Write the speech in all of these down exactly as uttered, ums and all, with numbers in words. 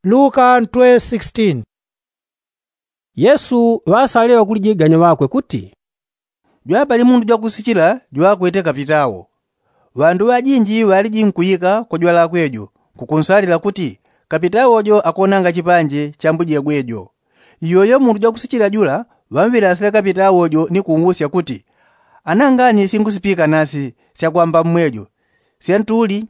Luka ntwe sixteen. Yesu ŵasalile ŵakulijiganya ŵakwe kuti, jwapali mundu jwakusichila jwakwete kapitawo. Ŵandu ŵajinji ŵaliji nkuyika kwa jwalakwe jo, nkukunsalila kuti, kapitawo jo akonanga chipanje cha mbujegwe jo. Iyoyo mundu jwakusichila jula ŵamwilasile kapitawo jo ni kunwusya kuti, anangani singusipika nasi syakwamba mmwejo, syantuli,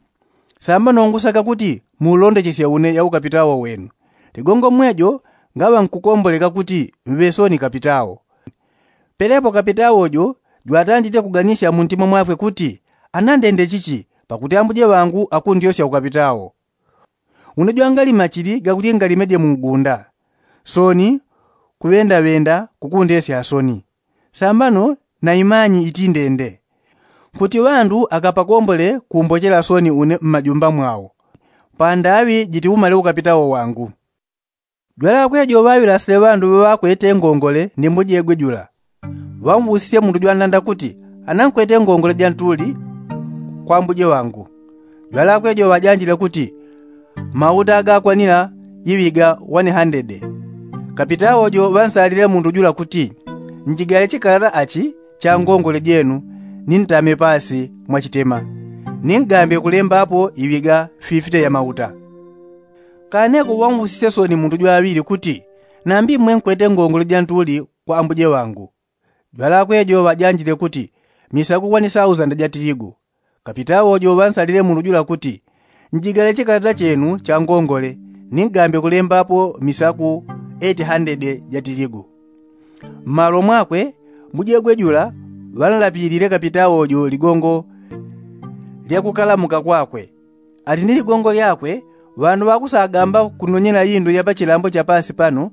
samba nongusaka kuti muulondechesye une ya ukapitawo wenu. Ligongo mmwejo ngaŵa nkukomboleka kuti mŵe soni kapitawo. Pelepo kapitawo jo jwatandiche kuganisya muntima mwakwe kuti, anandende chichi, pakuti ambuje ŵangu akundyosya ukapitawo. Une jwangalima chili gakuti ngalimeje mungunda, soni kuŵendaŵenda kukundesya soni. Sambano naimanyi itindende, kuti ŵandu akapakombole kumbochela soni une mmajumba mwao, pandaŵi jitiumale ukapitawo wangu. Jwalakwe jo ŵaŵilasile ŵandu ŵaŵakwete ngongole ni mbujegwe jula, ŵamwusisye mundu jwandanda kuti, anankwete ngongole jantuli kwa mbuje wangu. Jwalakwe jo ŵajanjile kuti, mauta gakwanila iŵiga wane handede. Kapitawo jo ŵansalile mundu jula kuti, njigale chikalata achi cha ngongole jenu, nintame pasi mwachitema, ningambe kulembapo iŵiga fifite ya mauta. Kaneko ŵamwusisye soni mundu jwaŵili kuti, nambi mwe nkwete ngongole jantuli kwa ambuje wangu. Jwalakwe jo ŵajanjile kuti, misaku kwani sausanda ja tiligu. Kapitawo jo ŵansalile mundu jula kuti, njigale chikalata chenu cha ngongole, ningambe kulembapo misaku eti handede ja tiligu. Mmalo mwakwe mbujegwe jula ŵanlapilile kapitawo jo ligongo lya kukalamuka kwakwe. Ati ni ligongo lyakwe, ŵandu ŵakusagamba kunonyela indu ya pachilambo cha pasi pano,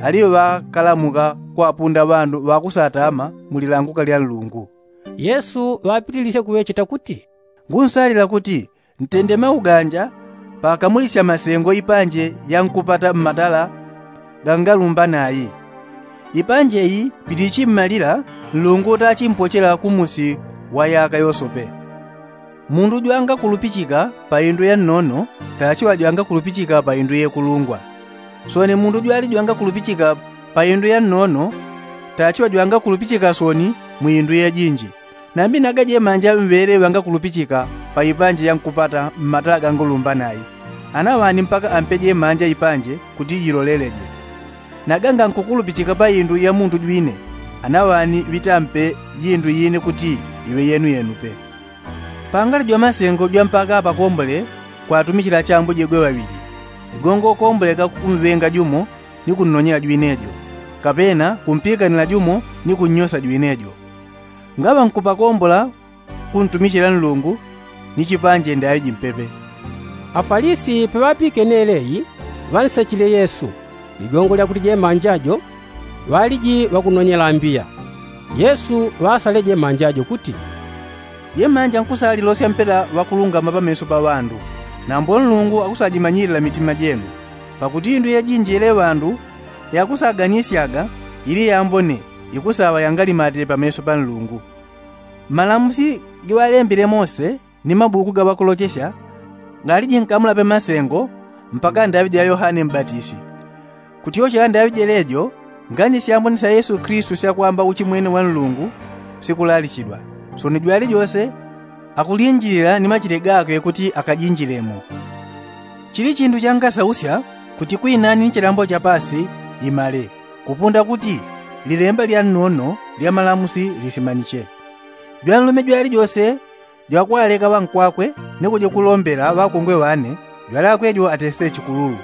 aliŵo ŵakalamuka kwapunda ŵandu ŵakusatama mu lilanguka lya Nlungu. Yesu ŵapitilisye kuŵecheta kuti, ngunsalila kuti, ntende mauganja pakamulisya masengo ipanje yankupata mmatala gangalumba nayi. Ipanje iyi pilichi mmalila, Nlungu tachimpochela kumusi wa yaka yosope. Mundu jwangakulupichika pa indu ya nnono, tachiŵa jwangakulupichika pa indu yekulungwa. Soni mundu jwali jwangakulupichika pa indu ya nnono, tachiŵa jwangakulupichika soni mu indu yejinji. Nambi naga jemanja mŵele ŵangakulupichika pa ipanje yankupata mmatala gangulumba nayi, anaŵani mpaka ampe jemanja ipanje kuti jiloleleje. Naga ngankukulupichika pa indu ya mundu jwine, anaŵani ŵitampe indu ine kuti iŵe yenuyenu pe. Pangali jwamasengo jwa mpaka apakombole kwatumichila chambujegwe ŵaŵili, igongo komboleka kumŵenga jumo ni kunnonyela jwine jo, kapena kumpikanila jumo ni kunnyosa jwine jo. Ngaŵa nkupakombola kuntumichila Nlungu ni chipanje ndaŵi jimpepe. Afalisi paŵapikene leyi, ŵansechile Yesu ligongo lya kuti jemanja jo ŵaliji ŵakunonyela mbiya. Yesu ŵasale jemanja jo kuti, jemanja nkusalilosya mpela ŵakulungama pameso pa ŵandu, nambo Nlungu akusajimanyilila mitima jenu. Pakuti indu yejinji yele ŵandu yakusaganisyaga ili yambone, ikusaŵa yangalimate pameso pa Nlungu. Malamusi giŵalembile Mose ni mabuku ga ŵakulochesya galiji nkamulape masengo mpaka ndaŵi ja Yohane Mbatisi. Kutyochela ndaŵi jelejo, ngani syambone sya Yesu Kilisitu syakwamba uchimwene wa Nlungu sikulalichidwa. Soni jwalijose akulinjilila ni machile gakwe kuti akajinjilemo. Chili chindu changasausya kuti kwinani ni chilambo cha pasi imale, kupunda kuti lilemba lya nnono lya malamusi lisimaniche. Jwanlume jwalijose jwakwaleka ŵankwakwe ni kuja kulombela ŵakongwe ŵane, jwalakwe jo atesile chikululu.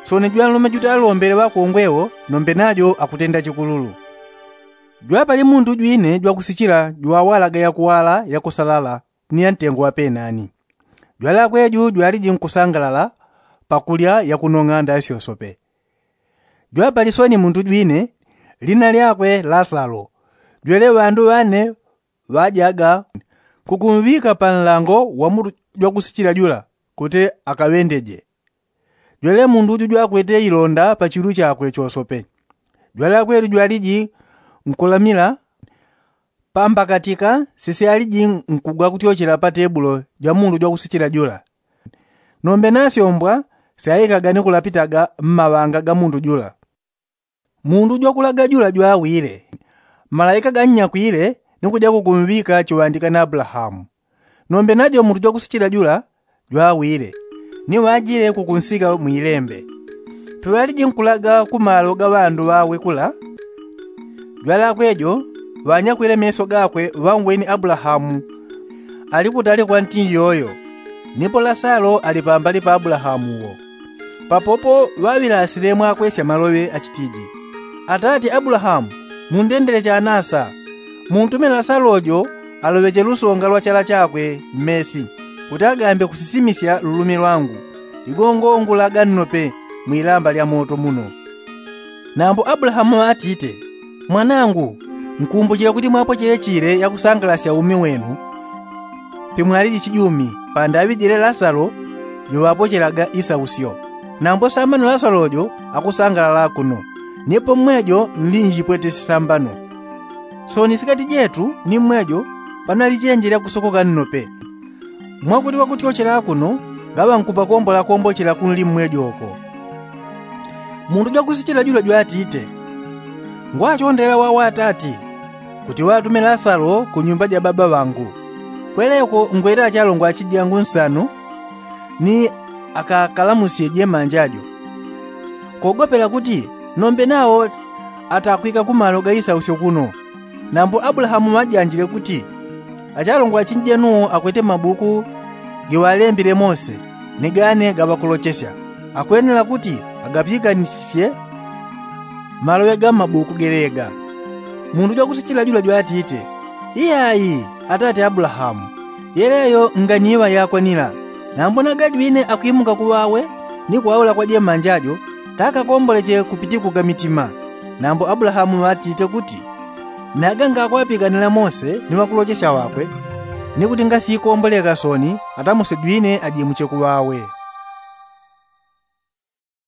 Soni jwanlume jutalombele ŵakongwe wo, nombe najo akutenda chikululu. Jwapali mundu jwine jwakusichila jwawalaga yakuwala yakusalala ni ya ntengo wa penani. Jwalakwe ju jwaliji nkusangalala pakulya yakunong'a ndaŵi syosope. Jwapali soni mundu jwine, lina lyakwe Lasalo. Jwele ŵandu ŵane ŵajaga nkukumŵika pa nlango wa mundu jwakusichila jula kuti akaŵendeje. Jwele mundu ju jwakwete ilonda pa chilu chakwe chosope. Jwalakwe ju jwaliji nkulamila pambakatika sisyaliji nkugwa kutyochela pa tebulo ja mundu jwakusichila jula. Nombe nasyombwa syaikaga ni kulapitaga mmaŵanga ga mundu jula. Mundu jwakulaga jula jwawile, malaika gannyakwile ni kuja kukumŵika chiŵandika na abulahamu. Nombe najo mundu jwakusichila jula jwawile, ni ŵajile kukunsika mwilembe. Piŵaliji nkulaga ku malo ga ŵandu ŵawe kula, jwalakwe jo ŵanyakwile meso gakwe ŵangweni abulahamu ali kutali kwa nti yoyo, nipo lasalo ali pambali pa abulahamu wo. Papopo ŵaŵilasile mwakwesya maloŵe achitiji, atati abulahamu, mundendele chanasa, muntume lasalo jo aloŵeche lusonga lwa chala chakwe mmesi, kuti agambe kusisimisya lulumi lwangu, ligongo ngulaga nnope mwilamba lya moto muno. Nambo abulahamu ŵatite, mwanangu, nkumbuchile kuti mwapochele chile yakusangalasya umi wenu pimwaliji chijumi, pandaŵi jile lasalo joŵapochelaga isausyo. Nambo sambano lasalo jo akusangalala kuno, nipo mmwejo nlinjipwete sisambano. Sooni sikati jetu ni mmwejo panalichenje lyakusokoka nnope, mwakuti ŵakutyochela kuno ngaŵankupakombola kombochela kunli mmwejo ko. Mundu jwakusichila jula jwatite, ngwachondela wawo atati, kuti ŵatume lasalo ku nyumba ja baba ŵangu. Kweleko ngwete achalongwa achijangu nsanu, ni akakalamusye jemanja jo, kogopela kuti nombe nawo atakwika ku malo ga isausyo kuno. Nambo abulahamu ŵajanjile kuti, achalongwa achinjenu akwete mabuku giŵalembile mose, ni gane gaŵakulochesya, akwenela kuti agapikanisisye maloŵe ga mmabuku gelega. Mundu jwakusichila jula jwatite, iyai, atati abulahamu, yeleyo nganiŵa yakwanila. Nambo nagajwine akwimuka kuŵawe ni kwaula kwa jemanja jo, takakomboleche kupitikuka mitima. Nambo abulahamu ŵatite kuti, naga ngakwapikanila mose ni ŵakulochesya ŵakwe, ni kuti ngasikomboleka sooni ata mose jwine ajimuche kuŵawe.